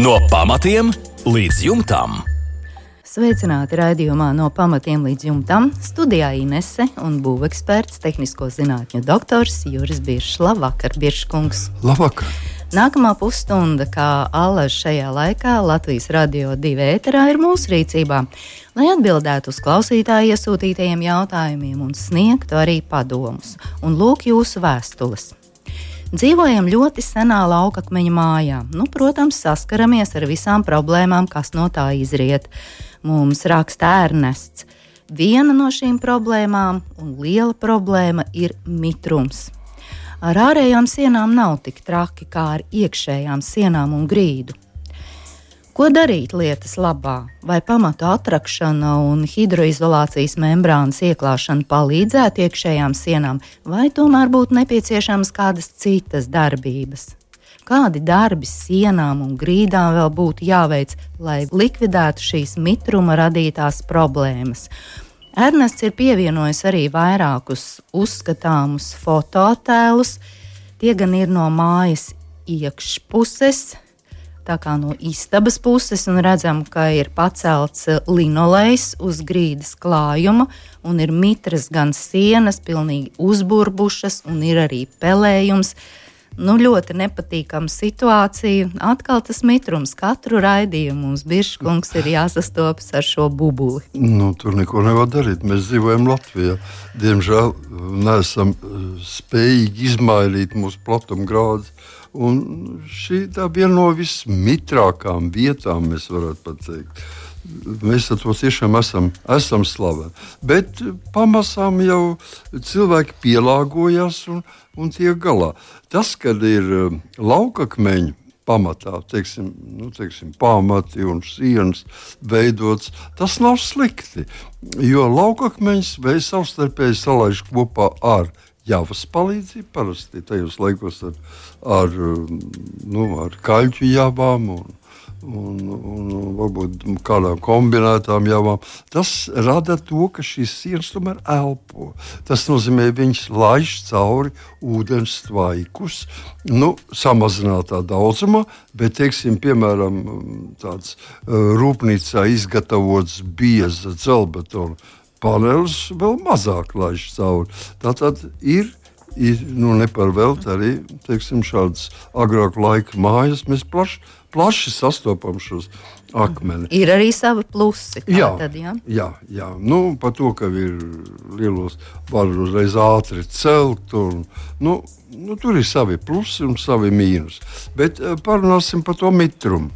No pamatiem līdz jumtam. Sveicināti raidījumā No pamatiem līdz jumtam. Studijā Inese un būveksperts, tehnisko zinātņu doktors Juris Biršs. Labvakar, Birškungs. Labvakar. Nākamā pusstunda, kā allaž šajā laikā, Latvijas Radio 2 ēterā ir mūsu rīcībā, lai atbildētu uz klausītāju iesūtītajiem jautājumiem un sniegtu arī padomus. Un lūk jūsu vēstules. Dzīvojam ļoti senā laukakmeņa mājā. Protams, saskaramies ar visām problēmām, kas no tā izriet. Mums raksta Ernests. Viena no šīm problēmām un liela problēma ir mitrums. Ar ārējām sienām nav tik traki kā ar iekšējām sienām un grīdu. Ko darīt lietas labā? Vai pamatu atrakšana un hidroizolācijas membrānas ieklāšana palīdzētu iekšējām sienām, vai tomēr būtu nepieciešamas kādas citas darbības? Kādi darbi sienām un grīdām vēl būtu jāveic, lai likvidētu šīs mitruma radītās problēmas? Ernests ir pievienojis arī vairākus uzskatāmus fotoattēlus. Tie gan ir no mājas iekšpuses, tā kā no istabas puses, un redzam, ka ir pacelts linolejs uz grīdas klājuma, un ir mitras gan sienas, pilnīgi uzburbušas, un ir arī pelējums. Ļoti nepatīkama situācija. Atkal tas mitrums. Katru raidījumu mums Birškungs ir jāsastopas ar šo bubuli. Tur neko nevar darīt. Mēs dzīvojam Latvijā. Diemžēl neesam spējīgi izmainīt mūsu platumgrādus. Un šī tā viena no vismitrākām vietām, mēs varētu pat teikt. Mēs ar to tiešām esam slaveni. Bet pamazām jau cilvēki pielāgojas un tiek galā. Tas, kad ir laukakmeņi pamatā, teiksim, pamati un sienas veidots, tas nav slikti. Jo laukakmeņus vai savstarpēji salaiž kopā ar javas palīdzību, parasti tajos laikos ar kaļķu javām un varbūt kādām kombinētām javām. Tas rada to, ka šīs sienas tomēr elpo. Tas nozīmē, viņas laiž cauri ūdens tvaikus, samazinātā daudzumā, bet, piemēram, tāds rūpnīcā izgatavots bieza dzelbetona panelis vēl mazāk laiž cauri. Tātad ir neparvelt arī, šādas agrāku laiku mājas. Mēs plaši sastopam šos akmeni. Ir arī savi plusi. Jā. Par to, ka ir lielos var uzreiz ātri celt. Tur ir savi plusi un savi mīnus. Bet parunāsim par to mitrumu.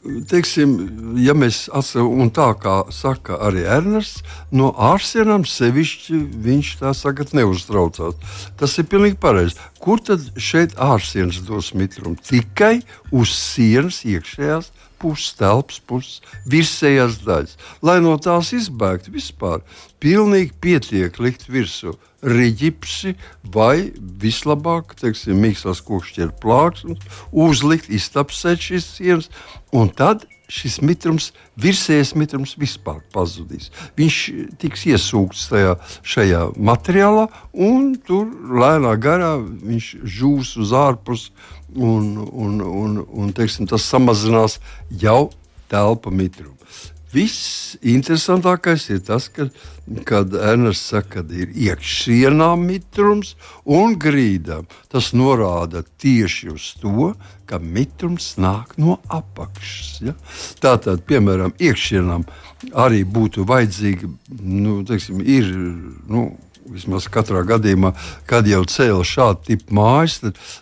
Ja mēs atceram, un tā kā saka arī Ernests, no ārsienām sevišķi viņš tā saka neuztraucās. Tas ir pilnīgi pareizi. Kur tad šeit ārsienas dos mitrumu? Tikai uz sienas iekšējās puses, telpas puses, virsējās daļas. Lai no tās izbēgtu vispār, pilnīgi pietiek likt virsū riģipsi vai vislabāk, mīkstās kokšķieru plāksnes, uzlikt, iztapsēt šīs sienas, un tad šis mitrums, virsējais mitrums vispār pazudīs. Viņš tiks iesūkts šajā materiālā, un tur lēnā garā viņš žūs uz ārpus, un tas samazinās jau telpa mitrumu. Viss interesantākais ir tas, kad Ernests saka, ka ir iekšienām mitrums un grīdām. Tas norāda tieši uz to, ka mitrums nāk no apakšas. Ja? Tātad, piemēram, iekšienām arī būtu vajadzīgi, vismaz katrā gadījumā, kad jau cēla šādu tipu mājas,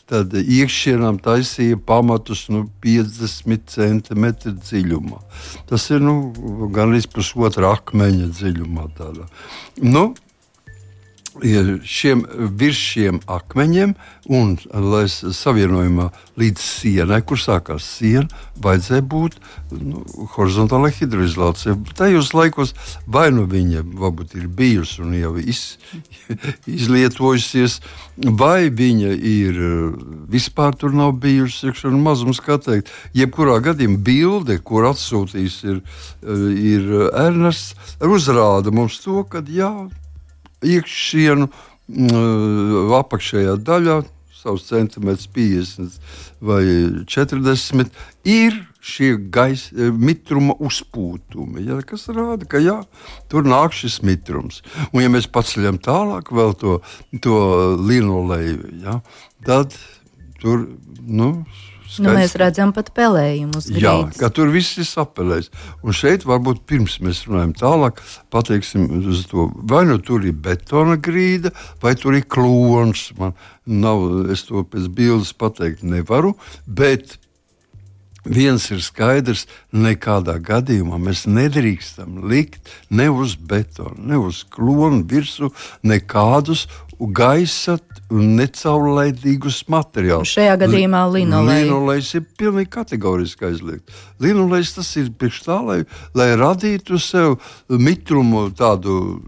tad iekšienām taisīja pamatus 50 centimetru dziļumā. Tas ir gan līdz pusotra akmeņa dziļumā. Tādā. Virs šiem akmeņiem un savienojumā līdz sienai, kur sākās siena, vajadzēja būt horizontālai hidroizolācijai. Tajos laikos vai viņa varbūt ir bijusi un jau izlietojusies, vai viņa ir vispār tur nav bijusi, mazums kā teikt. Jebkurā gadījumā bilde, kur atsūtījis ir Ernests, uzrāda mums to, ka iekšienu apakšējā daļā savus centimetrus 50 vai 40, ir šie mitruma uzpūtumi, ja, kas rāda, ka jā, tur nāk šis mitrums. Un ja mēs paceļam tālāk vēl to linoleju, ja, tad tur, mēs redzam pat pelējumu uz grīdas. Jā, ka tur viss ir sapelējis. Un šeit varbūt pirms mēs runājam tālāk, pateiksim uz to, vai tur ir betona grīda, vai tur ir klons. Man nav, es to pēc bildes pateikt nevaru, bet viens ir skaidrs, nekādā gadījumā mēs nedrīkstam likt ne uz betonu, ne uz klonu virsmu nekādus gaisa un necaurlaidīgus materiālus. Šajā gadījumā linolejs. Linolejs ir pilnīgi kategoriski aizliegt. Linolejs tas ir priekš tā, lai radītu sev mitrumu tādu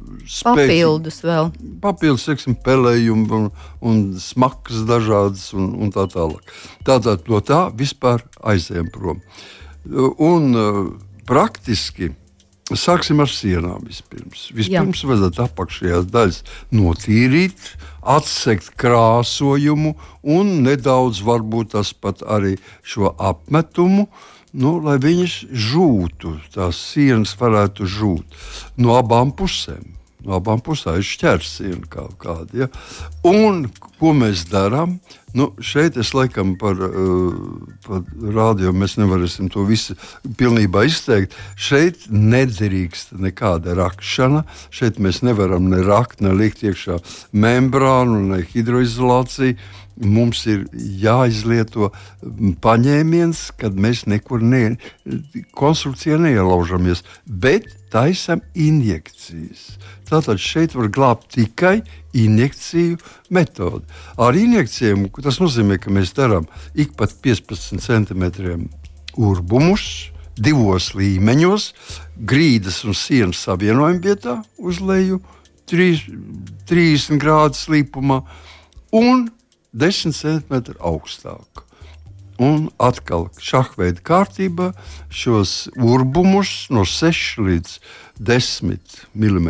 papildus vēl. Papildus, pelējumu un smakas dažādas un tā tālāk. Tātad no tā vispār aizējam prom. Un praktiski sāksim ar sienām vispirms. Vispirms vajadzētu apakšējās daļas notīrīt, atsekt krāsojumu un nedaudz varbūt tas pat arī šo apmetumu, lai viņas žūtu, tās sienas varētu žūt no abām pusēm. No abām pusēm ir šķērsiena kaut kāda. Ja? Un ko mēs darām? Šeit es laikam par rādio mēs nevarēsim to visu pilnībā izteikt. Šeit nedrīkst nekāda rakšana. Šeit mēs nevaram ne rakt, ne likt iekšā membrānu, ne hidroizolāciju. Mums ir jāizlieto paņēmiens, kad mēs nekur konstrukcijā neielaužamies, bet taisam injekcijas. Tātad šeit var glābt tikai injekciju metodi. Ar injekcijiem tas nozīmē, ka mēs darām ik pat 15 centimetriem urbumus, 2 līmeņos, grīdas un sienas savienojuma vietā uz leju, 30 grādu slīpumā un 10 centimetru augstāk. Un atkal šahveida kārtībā šos urbumus no 6 līdz 10 mm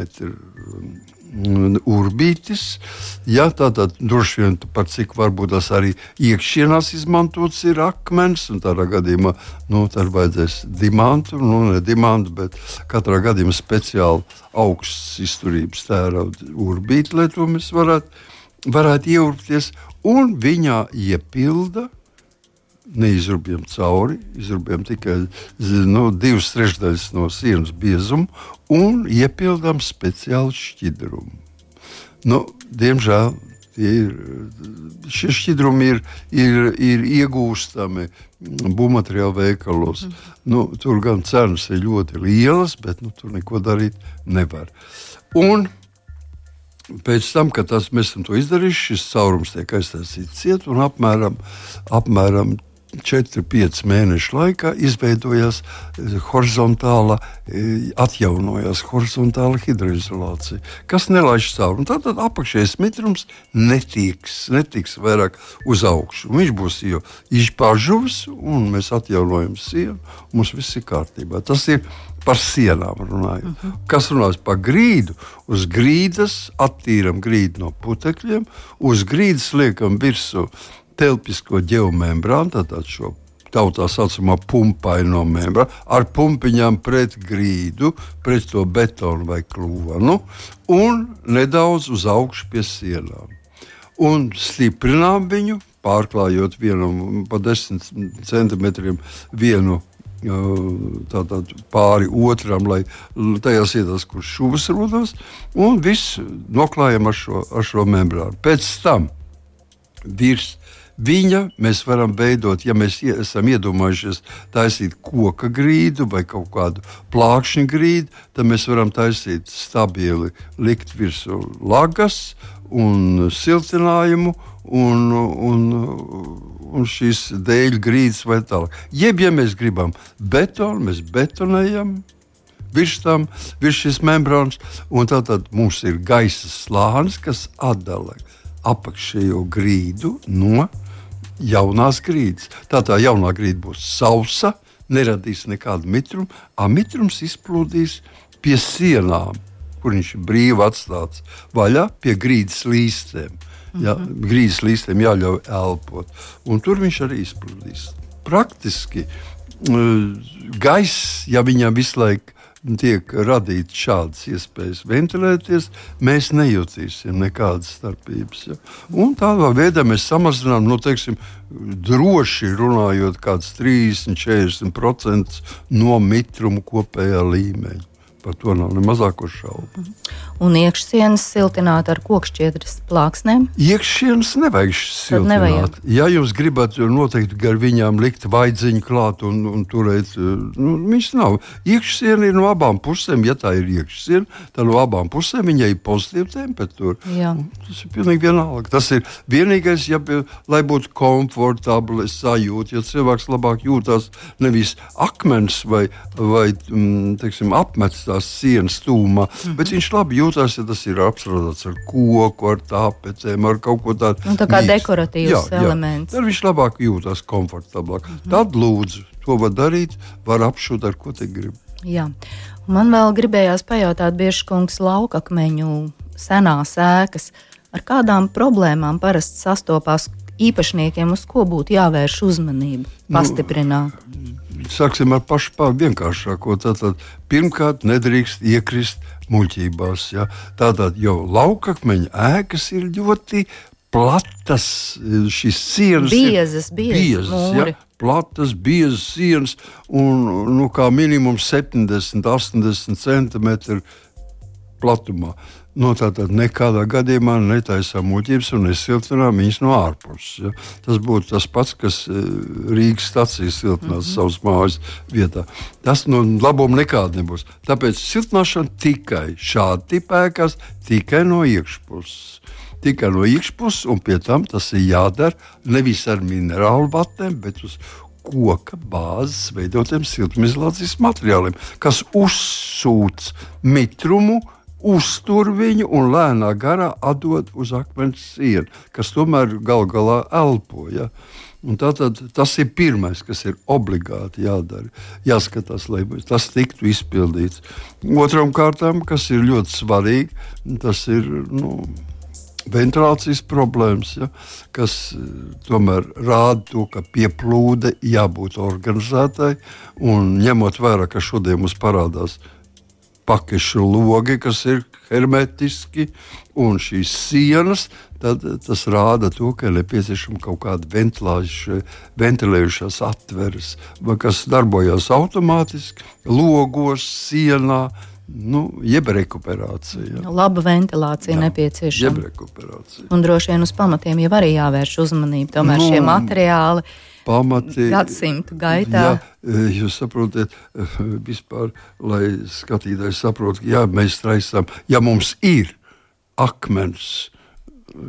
urbītis. Ja, tātad droši vien par cik varbūt tas arī iekšienās izmantots ir akmens, un tādā gadījumā tad vajadzēs dimantu, ne dimantu, bet katrā gadījumā speciāli augsts izturības tērauda urbīti, lai to mēs varētu ieurpties, un viņā iepilda, neizrubjam cauri, izrubjam tikai 2/3 no sienas biezumu un iepildām speciālu šķidrumu. Diemžēl šie šķidrumi ir iegūstami būvmateriālu veikalos. Tur gan cenas ir ļoti lielas, bet tur neko darīt nevar. Un pēc tam, kad mēs esam to izdarījuši, šis caurums tiek aiztaisīts ciet un apmēram 4-5 mēnešu laikā izveidojās atjaunojās horizontāla hidroizolācija, kas nelaiž cauri. Tātad apakšējais mitrums netiks vairāk uz augšu. Viņš būs jau izpāžuvis, un mēs atjaunojam sienu, mums viss ir kārtībā. Tas ir par sienām runājot. Kas runās par grīdu? Uz grīdas attīram grīdu no putekļiem, uz grīdas liekam virsū telpisko ģeomembrānu, tātad šo tautā saucamā pumpaino membrānu, ar pumpiņām pret grīdu, pret to betonu vai klonu, un nedaudz uz augšu pie sienām. Un stiprinām viņu, pārklājot vienam pa 10 centimetriem vienu tātad pāri otram, lai tajās vietās, kur šūvas rodas, un visu noklājam ar šo membrānu. Pēc tam virs viņa mēs varam veidot, ja mēs esam iedomājušies taisīt koka grīdu vai kaut kādu plākšņu grīdu, tad mēs varam taisīt stabili, likt virsū lagas un siltinājumu un šīs dēļu grīdas vai tālāk. Jeb, ja mēs gribam betonu, mēs betonējam virs šīs membrānas, un tātad mums ir gaisa slānis, kas atdala apakšējo grīdu no jaunās grīdas. Tā jaunā grīda būs sausa, neradīs nekādu mitrumu, mitrums izplūdīs pie sienām, kur viņš ir brīvi atstāts vaļā pie grīdas līstēm. Ja, grīzes līstiem jāļauj elpot. Un tur viņš arī izplūdīs. Praktiski gaiss, ja viņam visu laiku tiek radīts šādas iespējas ventilēties, mēs nejutīsim nekādas starpības. Ja? Un tādā veidā mēs samazinām, droši runājot, kāds 30–40% no mitruma kopējā līmeņa. Par to nav ne mazāko šaubu. Un iekšsienas siltināt ar kokšķiedras plāksnēm? Iekšsienas nevajag siltināt. Ja jūs gribat noteikti gar viņām likt vaidziņu klāt un turēt, viņš nav. Iekšsiena ir no abām pusēm, ja tā ir iekšsiena, tad no abām pusēm viņai ir pozitīva temperatūra. Tas ir pilnīgi vienalga. Tas ir vienīgais, lai būtu komfortabli sajūta, ja cilvēks labāk jūtās nevis akmens vai apmets tās sienas tūmā, bet viņš labi jūtās, ja tas ir apstrādāts ar koku, ar tāpecēm, ar kaut ko tādu. Tā kā dekoratīvs elements. Tad viņš labāk jūtās komfortablāk. Tad lūdzu, to var darīt, var apšūt ar ko te grib. Jā. Man vēl gribējās pajautāt, Biržkungs, laukakmeņu senās ēkas, ar kādām problēmām parasti sastopās īpašniekiem, uz ko būtu jāvērš uzmanību, pastiprināt? Sāksim ar pašu vienkāršāko. Tātad, pirmkārt, nedrīkst iekrist muļķībās. Ja? Tātad jau laukakmeņa ēkas ir ļoti platas, šīs sienas biezas, ja? Platas, biezas sienas un kā minimums 70–80 centimetri platumā. Tātad nekādā gadījumā netaisām muļķības un nesiltinām viņas no ārpuses. Ja? Tas būtu tas pats, kas Rīgas stacijas siltinās savas mājas vietā. Tas labuma nekāda nebūs. Tāpēc siltināšana tikai šāda tipa ēkās, tikai no iekšpuses. Tikai no iekšpuses, un pie tam tas ir jādara nevis ar minerālu vatēm, bet uz koka bāzes veidotiem siltumizolācijas materiāliem, kas uzsūc mitrumu, uztur viņu un lēnā garā atdod uz akmens sienu, kas tomēr gal galā elpo. Ja? Un tātad tas ir pirmais, kas ir obligāti jādara. Jāskatās, lai tas tiktu izpildīts. Otram kārtām, kas ir ļoti svarīgi, tas ir ventilācijas problēmas, ja? Kas tomēr rāda to, ka pieplūde jābūt organizētai, un ņemot vērā, ka šodien mums parādās pakešu logi, kas ir hermetiski, un šīs sienas, tad tas rāda to, ka ir nepieciešama kaut kāda ventilējušās atveres, kas darbojas automātiski, logos, sienā, jeb rekuperācija. Laba ventilācija nepieciešama. Jeb rekuperācija. Un droši vien uz pamatiem jau arī jāvērš uzmanība. Tomēr šie materiāli gadsimtu gaitā. Jā, jūs saprotiet, vispār, lai skatītājs saprot, mēs traisām, ja mums ir akmens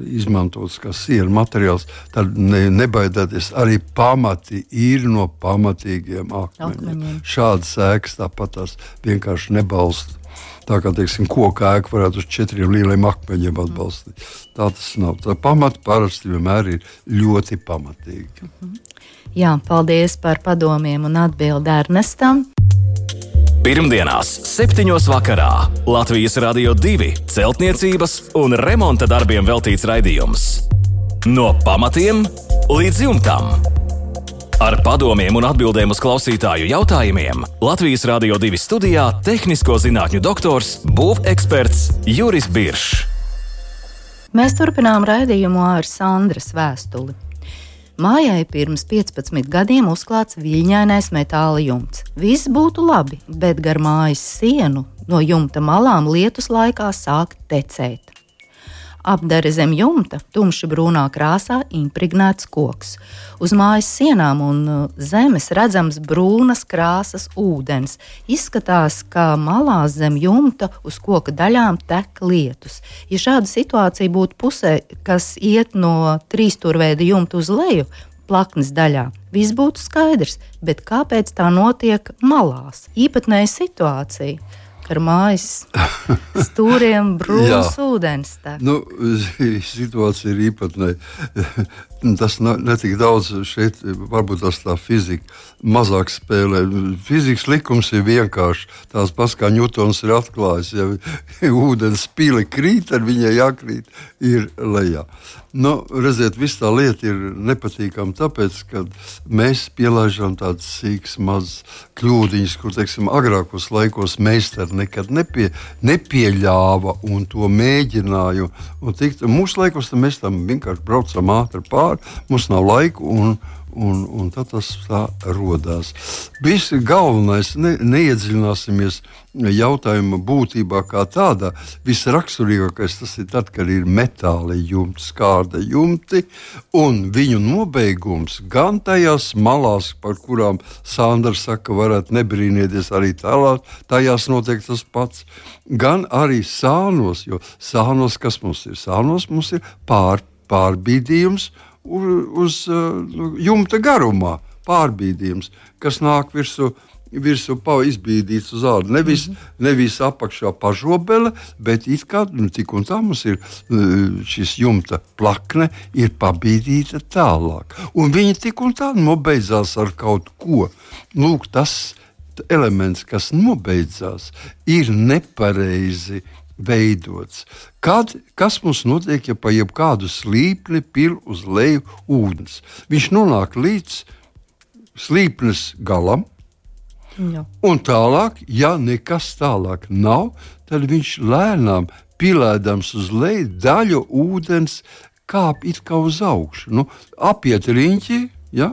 izmantots kā siena materiāls, tad nebaidāties, arī pamati ir no pamatīgiem akmeņiem. Šādas ēkas tāpat tās vienkārši nebalsta. Tā kā, koka ēka varētu uz 4 lieliem akmeņiem atbalstīt. Tā tas nav. Tā pamati parasti vienmēr ir ļoti pamatīgi. Jā, paldies par padomiem un atbildi Ernestam. Pirmdienās 7. vakarā Latvijas Radio 2 celtniecības un remonta darbiem veltīts raidījums. No pamatiem līdz jumtam. Ar padomiem un atbildēm uz klausītāju jautājumiem Latvijas Radio 2 studijā tehnisko zinātņu doktors, būveksperts Juris Biršs. Mēs turpinām raidījumu ar Sandras vēstuli. Mājai pirms 15 gadiem uzklāts viļņainais metāla jumts. Viss būtu labi, bet gar mājas sienu no jumta malām lietus laikā sāk tecēt. Apdare zem jumta tumši brūnā krāsā impregnēts koks. Uz mājas sienām un zemes redzams brūnas krāsas ūdens. Izskatās, ka malās zem jumta uz koka daļām tek lietus. Ja šāda situācija būtu pusē, kas iet no trīsstūrveida jumta uz leju, plaknes daļā, viss būtu skaidrs, bet kāpēc tā notiek malās? Īpatnēja situācija. Ar mājas stūriem brūns ūdens. Situācija ir īpatnēja. Tas netik daudz šeit, varbūt tas tā fizika mazāk spēlē. Fizikas likums ir vienkārši tās pats, kā Ņūtons ir atklājis. Ja ūdens pili krīt, tad viņai jākrīt ir lejā. Redziet, viss tā lieta ir nepatīkama, tāpēc, ka mēs pielaižam tādas sīkas, mazas kļūdiņas, kur, teiksim, agrākos laikos meistari nekad nepieļāva un to mēģināja. Mūsu laikos mēs tam vienkārši braucam ātri pāri, mums nav laiku un tad tas tā rodās. Visi galvenais, neiedziļināsimies jautājuma būtībā kā tādā. Visraksturīgākais tas ir tad, kad ir metāli jumti, skārda jumti, un viņu nobeigums gan tajās malās, par kurām Sandra saka, varētu nebrīnieties arī tajās notiek tas pats, gan arī sānos, jo sānos, kas mums ir? Sānos mums ir pārbīdījums uz jumta garumā, pārbīdījums, kas nāk virsū izbīdīts uz ādu. Nevis apakšā pažobele, bet it kā tik un tā mums ir šis jumta plakne ir pabīdīta tālāk. Un viņa tik un tā nobeidzās ar kaut ko. Lūk, tas elements, kas nobeidzās, ir nepareizi veidots. Kas mums notiek, ja pa jebkādu slīpni pil uz leju ūdens? Viņš nonāk līdz slīpnes galam, un tālāk, ja nekas tālāk nav, tad viņš lēnām pilēdams uz leju daļu ūdens kāp it kā uz augšu. Apiet riņķi,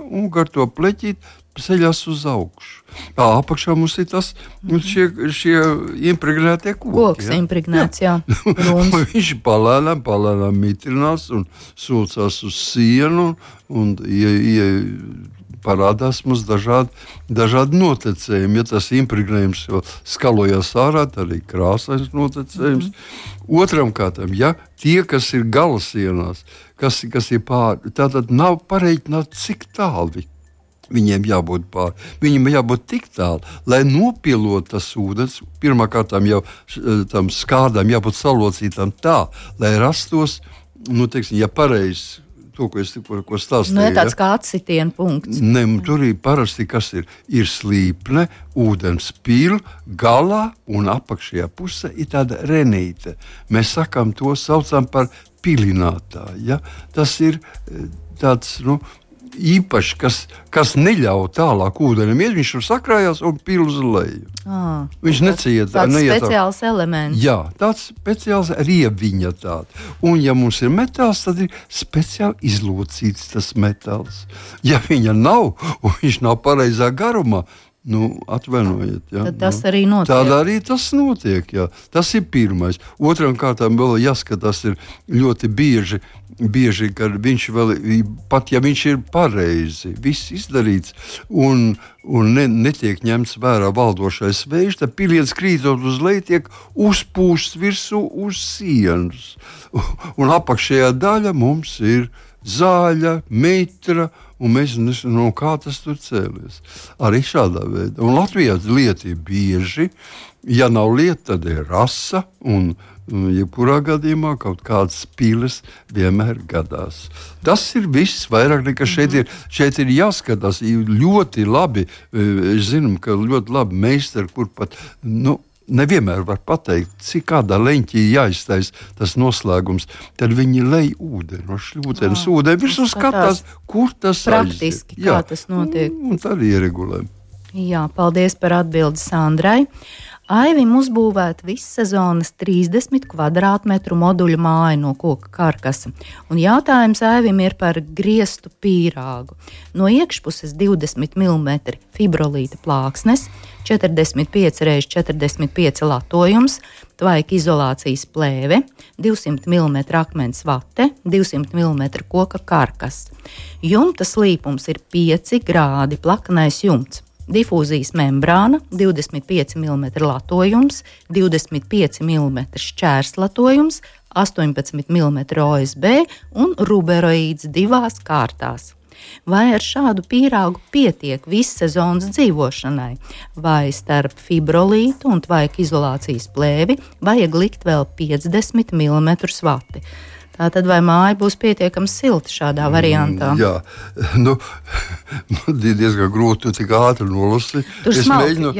un gar to pleķīt ceļās uz augšu. Apakšā mums ir šie impregnētie koki. Koks impregnēts, jā. Viņš palēnām mitrinās un sūcās uz sienu un parādās mums dažādi notekējumi. Ja tas impregnējums skalojās ārā, tad arī krāsains notekējums. Otram kārtām, tie, kas ir galasienās, kas ir pāri, tātad nav pareiķināt, cik tālu viņiem jābūt pāri. Viņiem jābūt tik tālu, lai nopilot tas ūdens, pirmkārtām jau tam skārdām jābūt salocītām tā, lai rastos, ja pareizi, to, ko es tikko stāstīju. Tāds kā atsitiena punkts. Tur ir parasti, kas ir slīpne, ūdens pil, galā un apakšējā pusē ir tāda renīte. Mēs saucam par pilinātāju. Ja? Tas ir tāds, īpaši, kas neļauj tālāk ūdenim iet, viņš tur sakrājās un pil uz leju. Viņš neciet. Tāds speciāls elements. Jā, tāds speciāls rieviņa tāda. Un ja mums ir metāls, tad ir speciāli izlocīts tas metāls. Ja viņa nav, un viņš nav pareizā garumā, atvainojiet. Ja? Tad tas arī notiek. Tad arī tas notiek, jā. Tas ir pirmais. Otram kārtām vēl jāskatās ir ļoti bieži, kad viņš vēl, pat ja viņš ir pareizi, viss izdarīts un netiek ņemts vērā valdošais vējš, tad piliens krītot uz leju tiek uzpūsts virsū uz sienas. Un apakšējā daļa mums ir zāļa, mitra, un mēs nezinām, kā tas tur cēlies. Arī šādā veidā. Un Latvijā lieta ir bieži. Ja nav lieta, tad ir rasa, un jebkurā gadījumā kaut kādas piles vienmēr gadās. Tas ir viss, vairāk nekā šeit ir jāskatās. Ļoti labi, es zinu, ka ļoti labi meistari, kur pat, nevienmēr var pateikt, cik kādā leņķī jāiztais tas noslēgums, tad viņi lej ūdeni, no šļūtenes ūdeni, visu skatās, kur tas praktiski, kā tas notiek. Un tad ieregulē. Jā, paldies par atbildi Sandrai. Aivim uzbūvēta vissezonas 30 kvadrātmetru moduļu māja no koka karkasa. Un jautājums Aivim ir par griestu pīrāgu. No iekšpuses 20 mm fibrolīta plāksnes, 45 x 45 latojums, tvaika izolācijas plēve, 200 mm akmens vate, 200 mm koka karkas. Jumta slīpums ir 5 grādi plakanais jumts. Difūzijas membrāna, 25 mm latojums, 25 mm šķērslatojums, 18 mm OSB un ruberoīds 2 kārtās. Vai ar šādu pīrāgu pietiek vissezonas dzīvošanai, vai starp fibrolītu un tvaika izolācijas plēvi vajag likt vēl 50 mm svati? Tātad vai māja būs pietiekami silta šādā variantā? Jā, diezgan grūti tik ātri nolasīt. Es mēģinu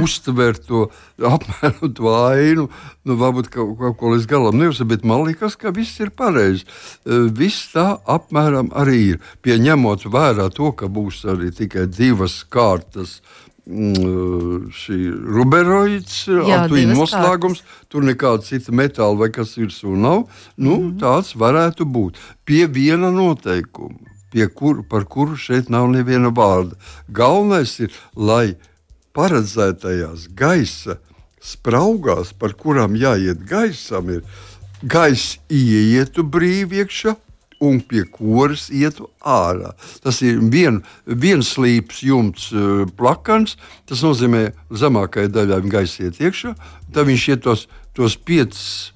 uztvert to apmēram to ainu, varbūt kaut ko līdz galam neuzsver, bet man liekas, ka viss ir pareizi. Viss tā apmēram arī ir. Pieņemot vērā to, ka būs arī tikai 2 kārtas šī ruberoids, noslēgums, tur nekāda cita metāla vai kas virsū nav, tāds varētu būt. Pie viena noteikuma, par kuru šeit nav neviena vārda. Galvenais ir, lai paredzētajās gaisa spraugās, par kurām jāiet gaisam, ir gaiss ieietu brīvi iekšā, un pie kuras ietu ārā. Tas ir viens slīps jumts plakans, tas nozīmē zemākajai daļai gaisa iet iekšā, tad viņš iet tos 5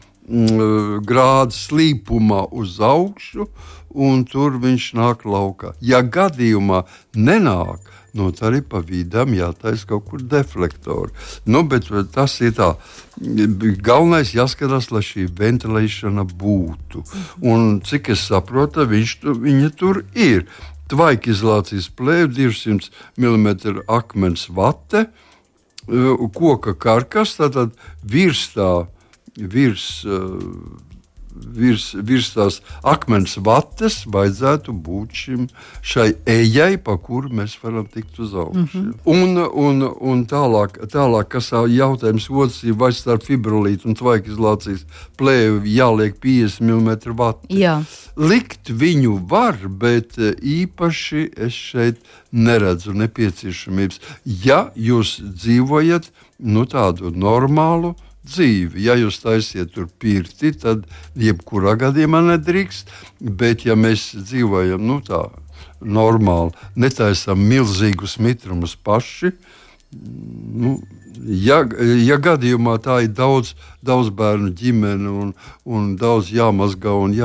grādu slīpumā uz augšu, un tur viņš nāk laukā. Ja gadījumā nenāk, tad arī pa vidam jātaisa kaut kur deflektori. Bet tas ir tā. Galvenais jāskatās, lai šī ventilēšana būtu. Un cik es saprotu, viņa tur ir. Tvaika izolācijas plēve, 200 mm akmens vate, koka karkas, tātad virs tās akmens vates vajadzētu būt šai ejai, pa kuru mēs varam tikt uz augšu. Un tālāk, kas jautājums otrs ir, vai starp fibrolītu un tvaika izolācijas plēvi jāliek 50 mm vati. Jā. Likt viņu var, bet īpaši es šeit neredzu nepieciešamības. Ja jūs dzīvojat tādu normālu dzīvi. Ja jūs taisiet tur pirti, tad jebkurā gadījumā nedrīkst, bet ja mēs dzīvojam tā normāli, netaisam milzīgus mitrumus paši, ja gadījumā tā ir daudz bērnu ģimene un daudz jāmazgā un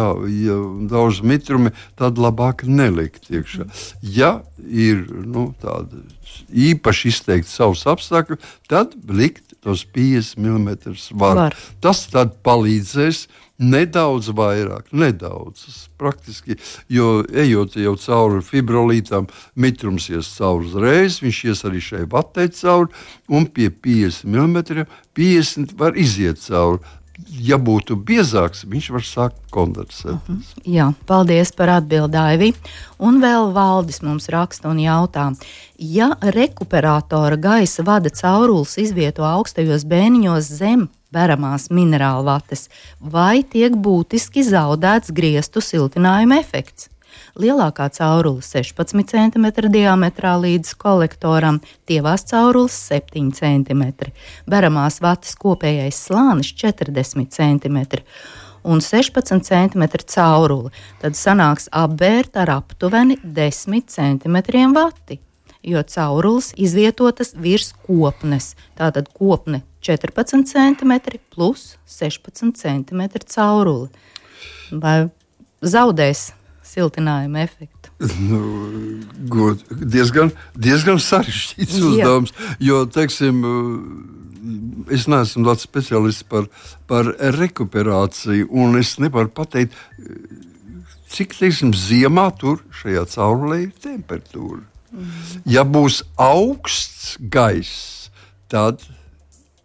daudz mitrumi, tad labāk nelikt iekšā. Ja ir tāda īpaši izteikti savus apstākļus, tad likt tos 50 mm var. Tas tad palīdzēs nedaudz vairāk, praktiski, jo ejot jau cauri fibrolītām, mitrums ies cauri uzreiz, viņš ies arī šai vatei cauri, un pie 50 mm 50 var iziet cauri. Ja būtu biezāks, viņš var sākt kondensēt. Jā, paldies par atbildi, Aivi. Un vēl Valdis mums raksta un jautā, ja rekuperatora gaisa vada caurules izvieto augstajos bēniņos zem veramās minerālu vates, vai tiek būtiski zaudēts griestu siltinājuma efekts? Lielākā caurule 16 cm diametrā līdz kolektoram, tievās caurules 7 cm, veramās vates kopējais slānis 40 cm un 16 cm caurule, tad sanāks apbērt ar aptuveni 10 cm vati, jo caurules izvietotas virs kopnes, tātad kopne 14 cm plus 16 cm caurule. Vai zaudēs siltinājuma efektu? Diezgan sarežģīts uzdevums, jo, teiksim, es neesmu tāds speciālists par rekuperāciju, un es nevaru pateikt, cik, teiksim, ziemā tur šajā caurulē ir temperatūra. Ja būs augsts gaiss, tad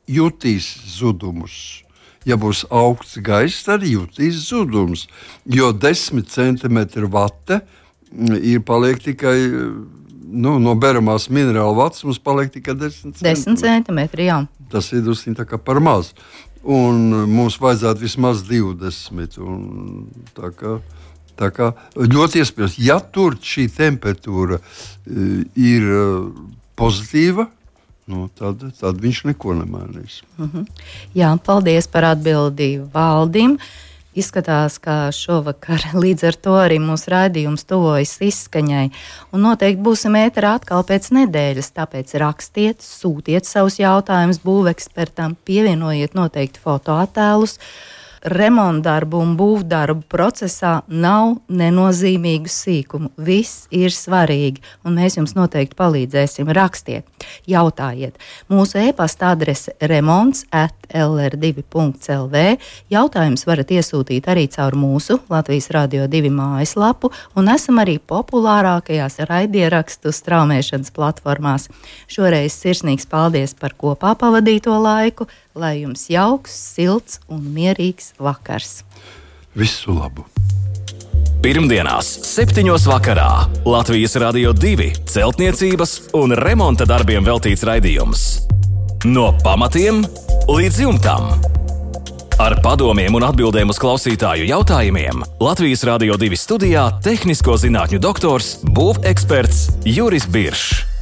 jutīs zudumus. Ja būs augsts gaiss, tad jutīs zudums, jo 10 cm vate paliek tikai, no beramās minerāla vatas mums paliek tikai 10 cm. 10 cm, jā. Tas ir tā kā par maz. Un mums vajadzētu vismaz 20. Un tā kā ļoti iespējams, ja tur šī temperatūra ir pozitīva, tad viņš neko nemainīs. Jā, paldies par atbildi Valdim. Izskatās, ka šovakar līdz ar to arī mūsu raidījums tuvojas izskaņai. Un noteikti būsim ēterā atkal pēc nedēļas, tāpēc rakstiet, sūtiet savus jautājumus būvekspertam, pievienojiet noteikti fotoattēlus. remontdarbu un būvdarbu procesā nav nenozīmīgu sīkumu. Viss ir svarīgi, un mēs jums noteikti palīdzēsim. Rakstiet, jautājiet. Mūsu e-pasta adrese remonts@lr2.lv. Jautājums varat iesūtīt arī caur mūsu Latvijas Radio 2 mājaslapu, un esam arī populārākajās raidierakstu straumēšanas platformās. Šoreiz sirsnīgs paldies par kopā pavadīto laiku, lai jums jauks, silts un mierīgs vakars. Visu labu! Pirmdienās, 7:00 vakarā Latvijas Radio 2 celtniecības un remonta darbiem veltīts raidījums. No pamatiem līdz jumtam. Ar padomiem un atbildēm uz klausītāju jautājumiem Latvijas Radio 2 studijā tehnisko zinātņu doktors, būveksperts Juris Biršs.